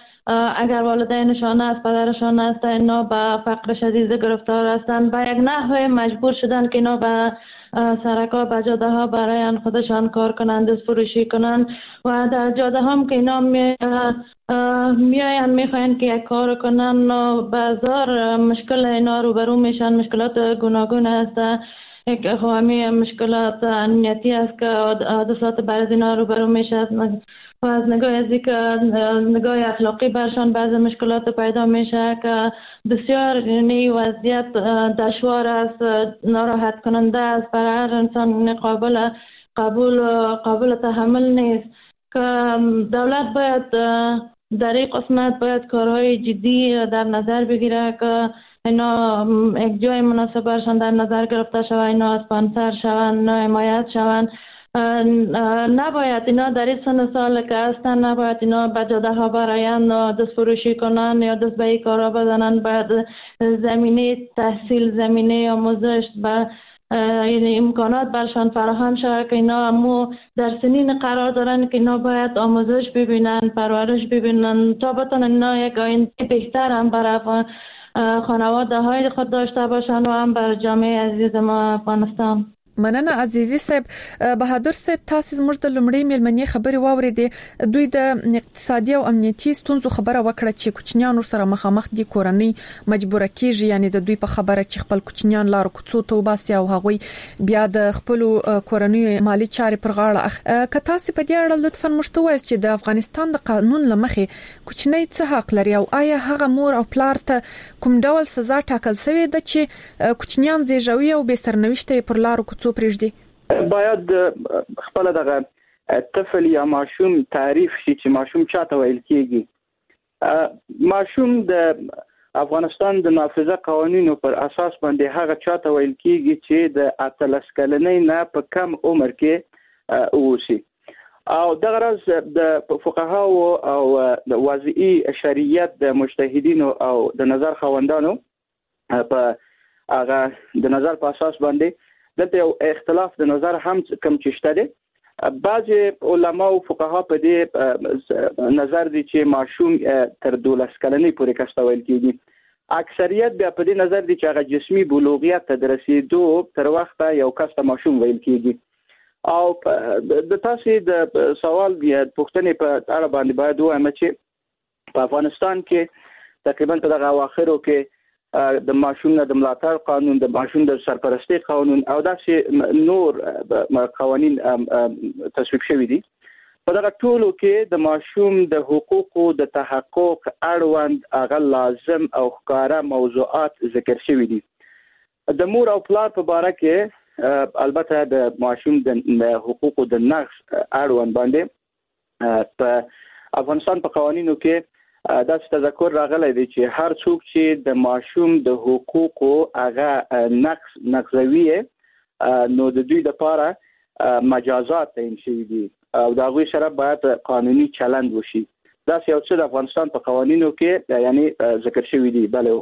اگر والدینشان است، پدرشان است، اینا به فقر شدید گرفتار هستند، به یک نحو مجبور شدن که اینا به سرک‌ها، به جاده ها برای خودشان کار کنند، دست فروشی کنند و در جاده هم که اینا می میاین میخواین که یک کار کنن و بازار مشکل اینا روبرو میشن. مشکلات گوناگون است، یک خواهمی مشکلات امنیتی است که حادثات بعض اینا روبرو میشه و از نگاه از نگاه اخلاقی برشان بعض مشکلات پیدا میشه که بسیار یعنی وضعیت دشوار است، ناراحت کننده است، برای هر انسان قابل قبول قابل تحمل نیست که دولت باید در این قسمت باید کارهای جدی در نظر بگیره که اینا یک جای مناسب برشان در نظر گرفته شود، اینا اسپانسر شوند، اینا حمایت شوند. نباید اینا در این سن سال که هستن، نباید اینا به جاده ها براین و دست فروشی کنن یا دست به این کارا بزنن. باید زمینه تحصیل، زمینه آموزش و امکانات برشان فراهم شود که اینا مو در سنین قرار دارن که اینا باید آموزش ببینن، پرورش ببینن تا بتونن اینا یک آینده بهتر هم برای خانواده های خود داشته باشن و هم بر جامعه عزیز ما افغانستان. مننه عزیزي صاحب. بهادر صاحب، تاسو زموږ د لومړۍ میلمنې خبرې واورېدې. دوی د اقتصادي او امنیتي ستونزو خبره وکړه چې کوچنیان ورسره مخامخ دي، کورنۍ مجبوره کیږي، یعنی د دوی په خبره چې خپل کوچنیان لارو کوڅو ته وباسي او هغوی بیا د خپلو کورنیو مالي چارې پر غاړه اخلي. که تاسو په دې اړه لطفاً موږ ته ووایاست چې د افغانستان د قانون له مخې کوچنی څه حق لري او آیا هغه مور او پلار ته کوم ډول سزا ټاکل شوې ده چې کوچنیان زیږوي او بې سرنوشته یې پر لارو کوڅو پرېږدي؟ باید خپل دغه طفل یا ماشوم تعریف شي چې ماشوم چاته ویل کیږي. ماشوم د افغانستان د نافذه قوانینو پر اساس باندې هغه چاته ویل کیږي چې د اتلس کلنۍ نه په کم عمر کې اوسي. او دغه راز د فقهاو او د وضعي شریعت د مجتهدینو او د نظر خاوندانو په هغه د نظر په اساس باندې دلته یو اختلاف د نظر هم کم چې شته دی. بعضې علما او فقها په دې نظر دي چې ماشوم تر دولس کلنۍ پورې کس ته ویل کېږي. اکثریت بیا په دې نظر دي چې هغه جسمي بلوغیت ته د رسېدو تر وخته یو کس ته ماشوم ویل کېږي. او د تاسې د سوال یا پوښتنې په اړه باندې باید ووایم چې په افغانستان کې تقریبا په دغه اواخرو کې د ماشوم نه د ملاتړ قانون، د ماشوم د سرپرستۍ قانون او داسې نور قوانین تصویب شوي دي. په دغه ټولو کې د ماشوم د حقوقو د تحقق اړوند هغه لازم او ښکاره موضوعات ذکر شوي دي. د مور او پلار په باره کې البته د ماشوم د حقوقو د نقض اړوند باندې په افغانستان په قوانینو کې داسې تذکر راغلی دی چې هر څوک چې د ماشوم د حقوقو هغه نقض نقضوي نو د دوی لپاره مجازات تعین شوي دي او د هغوی سره باید قانوني چلند وشي. داسې یو څه د افغانستان په قوانینو کې یعنی ذکر شوي دي. بله،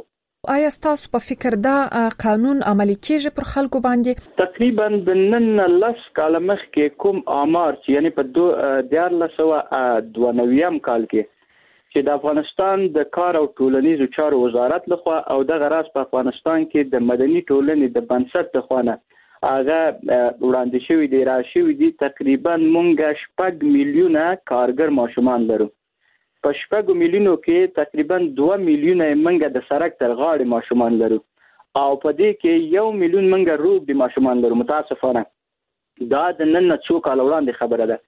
آیا ستاسو په فکر دا قانون عملي کیږي پر خلکو باندې؟ تقریبا د نن لس کاله مخکې کوم آمار چې یعنی په دیارلس سوه دوه نویم کال کې چې د افغانستان د کار او ټولنیزو چارو وزارت لخوا او دغه راز په افغانستان کې د مدني ټولنې د بنسټ لخوا نه هغه وړاندې شوي دي، را شوي دي، تقریبا مونږ شپږ میلیونه کارګر ماشومان لرو. په شپږو میلیونو کې تقریبا دوه میلیونه مونږ د سړک تر غاړې ماشومان لرو او په دې کې یو میلیون مونږ روږدي ماشومان لرو. متاسفانه دا د نن نه څو کاله وړاندې خبره ده.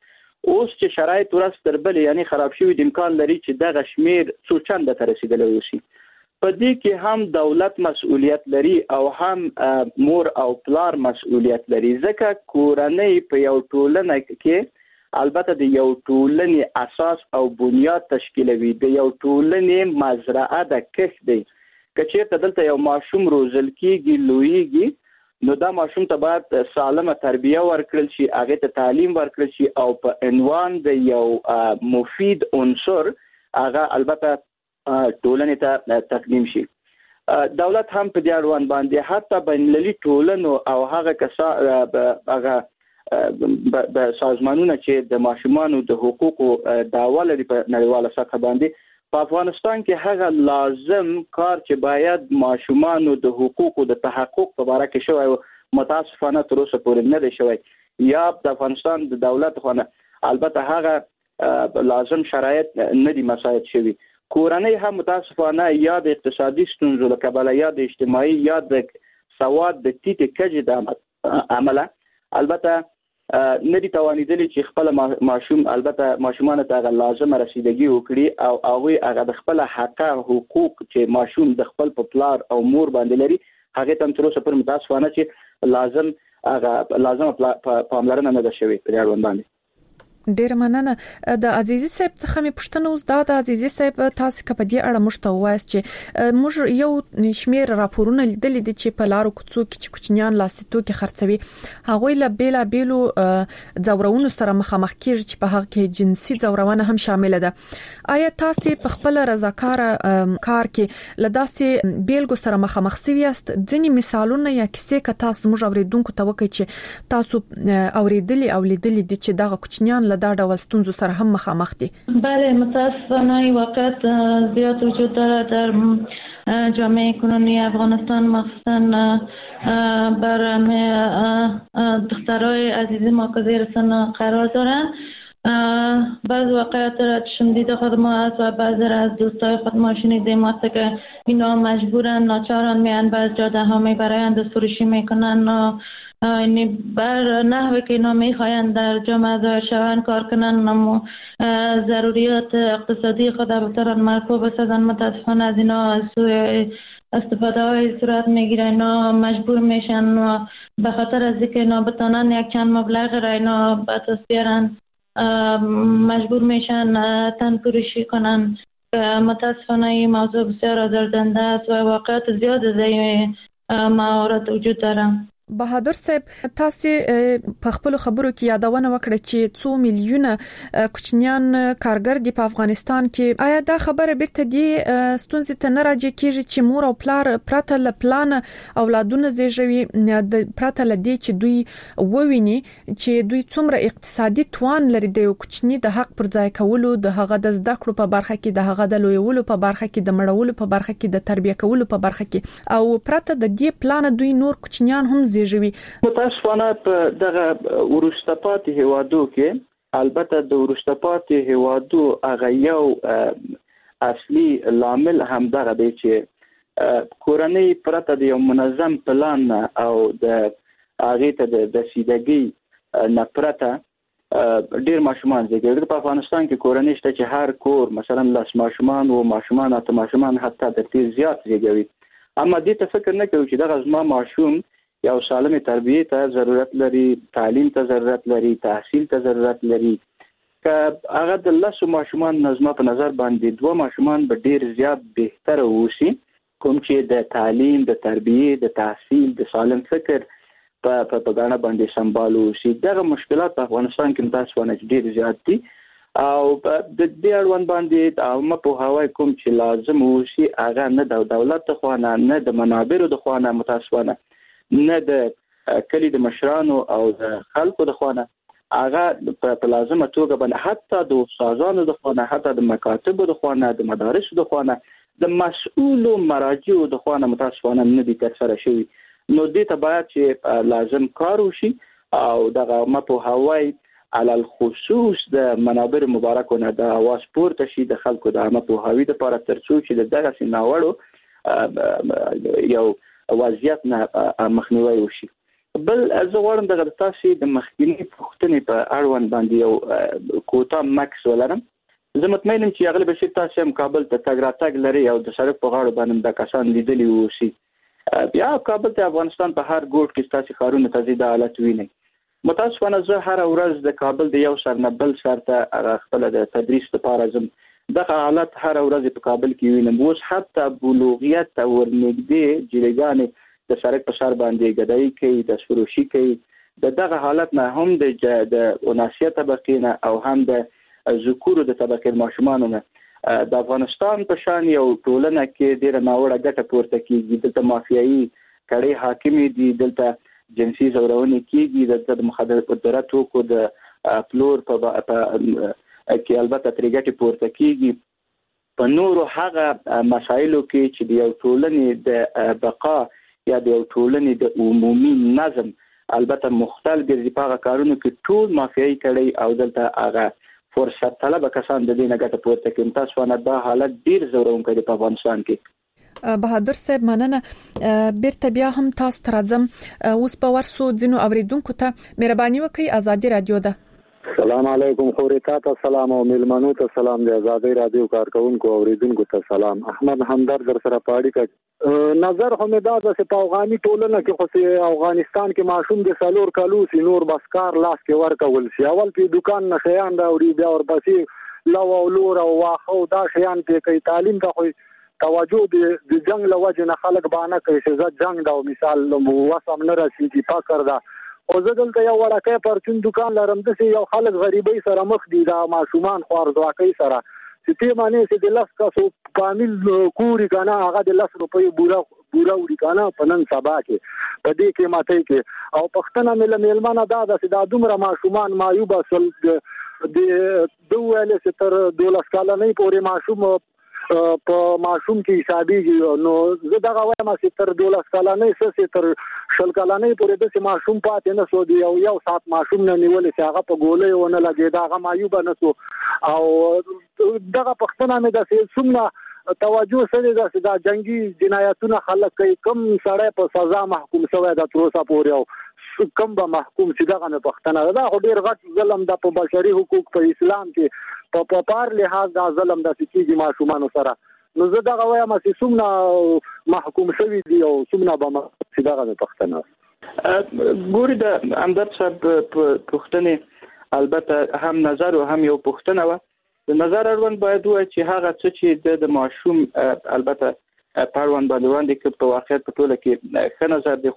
اوس چې شرایط ورځ تر بلې یعنی خراب شوي دي، امکان لري چې دغه شمیر څو چنده ته رسېدلی اوسي. په دې کې هم دولت مسؤلیت لري او هم مور او پلار مسؤلیت لري، ځکه کورنۍ په یو ټولنه کې البته د یو ټولنې اساس او بنیاد تشکیلوي، د یو ټولنې مزرعه د کښت دی. که چیرته دلته یو ماشوم روزل کیږي، لویږي، نو دا ماشوم ته باید سالمه تربیه ورکړل شي، هغې ته تعلیم ورکړل شي او په عنوان د یو مفید عنصر هغه البته ټولنې ته تقدیم شي. دولت هم په دې اړوند باندې حتی بین المللي ټولنو او هغه کسا هغه سازمانونه چې د ماشومانو د حقوقو دعوه لري په نړیواله سطح باندې، په افغانستان کې هغه لازم کار چې باید ماشومانو د حقوقو د تحقق په باره کې شوی و، متاسفانه تر اوسه پورې نه دی شوی. یا د افغانستان د دولت خو نه البته هغه لازم شرایط نه دي مساعد شوي. کورنۍ هم متاسفانه یا د اقتصادي ستونزو له کبله یا د اجتماعي یا د سواد د ټیټې کچې د امله البته نه دي توانېدلي چې خپل ماشوم البته ماشومانو ته هغه لازمه رسیدګي وکړي او هغوی هغه د خپل حقه حقوق چې ماشوم د خپل په پلار او مور باندې لري هغې ته هم تر اوسه پورې متاسفانه چې لازم هغه لازمه پاملرنه نه ده شوې په دې اړوند باندې. ډیره مننه. د عزیزي صاحب څخه مې پوښتنه اوس دا ده، عزیزي صاحب تاسو که په دې اړه موږ ته ووایاست چې موږ یو شمیر راپورونه لیدلي دي چې په لارو کوڅو کې چې کوچنیان لاسي توکي خرڅوي، هغوی له بېلابېلو ځورونو سره مخامخ کیږي چې په هغه کې جنسي ځورونه هم شامله ده. آیا تاسو په خپل رضاکاره کار کې له داسې بیلګو سره مخامخ سوي یاست؟ ځینې مثالونه یا کیسې که تاسو موږ اورېدونکو ته وکړئ چې تاسو اورېدلي او لیدلي دي چې دغه کوچنیان دا ډول ستونزو سره هم مخامخ دي؟ بله، متاسفانه این واقعیت زیاد وجود داره در جامعه کنونی افغانستان، مخصوصا بر دخترای عزیز ما که زیر سن قرار دارن. بعض واقعیت را چشم دیده خود ما است و بعضی را از دوستای خود ما شنیدیم وقتی که اینا مجبورن ناچارن میان بعض جاده ها میبرند و فروشی میکنن و یعنی بر نحوی که اینا میخواین در جامعه ظاهر شوند کار کنن و ضروریات اقتصادی خود بترن مرکوب بسازن. متاسفانه از اینا سوء استفاده های صورت میگیره، اینا مجبور میشن و به خاطر از اینکه اینا بتانن یک چند مبلغ را اینا به دست بیارن مجبور میشن تن فروشی کنن. متاسفانه این موضوع بسیار آزاردهنده است و واقعیت زیاد از این موارد وجود داره. بهادر صاحب، تاسو په خپل خبرو کې یادونه وکړه چې څو میلیونه کوچنیان کارګر دي په افغانستان کې. آیا دا خبره بیرته دي ستونزې ته نه راجع کیږي چې مور او پلار پرته له پلانه اولادونه زیږوي، پرته له دې چې دوی وویني چې دوی څومره اقتصادي توان لري د یو کوچني د حق پر ځای کولو، د هغه د زده کړو په برخه کې، د هغه د لویولو په برخه کې، د مړولو په برخه کې، د تربیه کولو په برخه کې، او پرته د دې پلانه دوی نور کوچنیان هم زیږوي؟ متاسفانه په دغه وروسته پاتې هیوادو کې، البته د وروسته پاتې هیوادو هغه یو اصلي لامل هم دغه دی چې کورنۍ پرته د یو منظم پلان نه او د هغې ته د رسیدګۍ نه پرته ډیر ماشومان زیږوي. په افغانستان کې کورنۍ شته چې هر کور مثلا لس ماشومان و ماشومان اته ماشومان حتی تر دې زیات زیږوي اما دې ته فکر نه کوي چې دغه زما ماشوم یو سالمې تربیې ته ضرورت لري، تعلیم ته ضرورت لري، تحصیل ته ضرورت لري. که هغه د لسو ماشومان نه زما په نظر باندې دوه ماشومان به ډیر زیات بهتره اوسي، کوم چې د تعلیم، د تربیې، د تحصیل، د سالم فکر په په ګاڼه باندې سمبال اوسي. دغه مشکلات په افغانستان کې متاسفانه چې ډیر زیات دي او د دې اړوند باندې عامه پوهاوی کوم چې لازم اوسي هغه نه د دولت د خوا نه، نه د منابرو د خوا نه، متاسفانه نه د کلي د مشرانو او د خلکو د خوا نه، هغه په لازمه توګه باندې حتی د استادانو د خوا نه، حتی د مکاتبو د خوا نه، د مدارسو د خوا نه، د مسؤلو مراجعو د خوا نه متاسفانه نه دي ترسره شوي. نو دې ته باید چې لازم کار وشي او دغه عامه پوهاوی علی الخصوص د منابر مبارکو نه د اواز پورته شي د خلکو د عامه پوهاوي دپاره، ترڅو چې د دغسې ناوړو یو وضعیت نه مخنیوی وشي. بل زه غواړم دغه د تاسې د مخکیني پوښتنې په اړوند باندې یو کوتاه مکس ولرم. زه مطمئن یم چې اغلې بشیر تاسې هم کابل ته تګ راتګ لرئ او د سړک په غاړو باندې دا کسان لیدلي اوسي. بیا کابل ته افغانستان په هر ګوټ کې ستاسې ښارونو ته ځئ دا حالت وینئ. متاسفانه زه هره ورځ د کابل د یو سر نه بل سر ته هغه خپله د تدریس لپاره ځم، دغه حالت هره ورځ په کابل کې وینم. اوس حتی بلوغیت ته ورنږدې جلیګانې د سړک په سر باندې ګدایي کوي، د فروشي کوي. د دغه حالت نه هم د د اناسیه طبقې نه او هم د ذکورو د طبقې ماشومانو نه د افغانستان په شان یو ټولنه کې ډېره ناوړه ګټه پورته کیږي. دلته مافیایي کړۍ حاکمې دي، دلته جنسي ځورونې کیږي، دلته د مخدره توکو د پلور په کې البته ترې ګټې پورته کیږي. په نورو هغه مسایلو کې چې د یو ټولنې د بقا یا د یو ټولنې د عمومي نظم البته مختل ګرځي، په هغه کارونو کې ټول مافیایي کړۍ او دلته هغه فرصت طلبه کسان د دې نه ګټه پورته کوي. متاسفانه دا حالت ډیر ځورونکی دی په افغانستان کې. بهادر صاحب مننه. بیرته بیا هم تاسو ته راځم. اوس به ورسو ځینو اوریدونکو ته، مهرباني وکړئ ازادي رادیو ده. سلام علیکم خورې، تا ته سلام او میلمنو ته سلام، د ازادي رادیو کارکوونکو اوریدونکو ته سلام. احمد همدرد در سره په اړیکه. نظر خو مې دا ده چې په افغاني ټولنه کې خو چې افغانستان کې ماشوم د څلور کلو سي نور بس کار لاس کې ورکول سي، اول پې دوکان نه شیان راوړي، بیا ورپسې لو او لور او واښه او دا شیان پې کوي. تعلیم ته خو توجه د د جنګ له وجې نه خلک بانه کوي چې زه جنګ ده او مثال وس هم نه رسېږي، فقر ده. خو زه دلته یو وړکی پرچون دوکان لرم، داسې یو خلک غریبۍ سره مخ دي، دا ماشومان خوارځواکۍ سره چې ته معنی چې د لس کسو فامیل کوري که نه هغه د لس روپیو بوره بوره وړي که نه په نن سبا کې په دې قیمتۍ کې. او پوښتنه مې له مېلمنه دا ده چې دا دومره ماشومان معیوبه سول، د ده وویل چې تر دولس کلنۍ پورې ماشوم په ماشوم کې حسابېږي، نو زه دغه وایم چې تر دولس کلنۍ څه چې تر شل کلنۍ پورې داسې ماشوم پاتې نه سو، د یو یو ساعت ماشوم نه نیولې چې هغه په ګولۍ ونه لګېده، هغه معیوبه نه سو. او دغه پوښتنه مې ده چې څومره توجه سوې ده چې دا جنګي جنایتونه خلک کوي، کوم سړی په سزا محکوم سوی ده تر اوسه پورې او کوم به محکوم سي؟ دغه مې پوښتنه ده. دا خو ډېر غټ ظلم ده په بشري حقوق، په اسلام کې په په پار لحاظ دا ظلم داسې کېږي ماشومانو سره. نو زه دغه وایم چې څومره محکوم شوي دي او څومره به محکوم سي، دغه مې پوښتنه ده. ګوري د همدرد صاحب پوښتنې البته هم نظر او هم یو پوښتنه وه. د نظر اړوند باید ووایو چې هغه څه چې د د ماشوم البته په اړوند باندې وړاندې کړ په واقعیت په ټوله کې ښه نظر دی.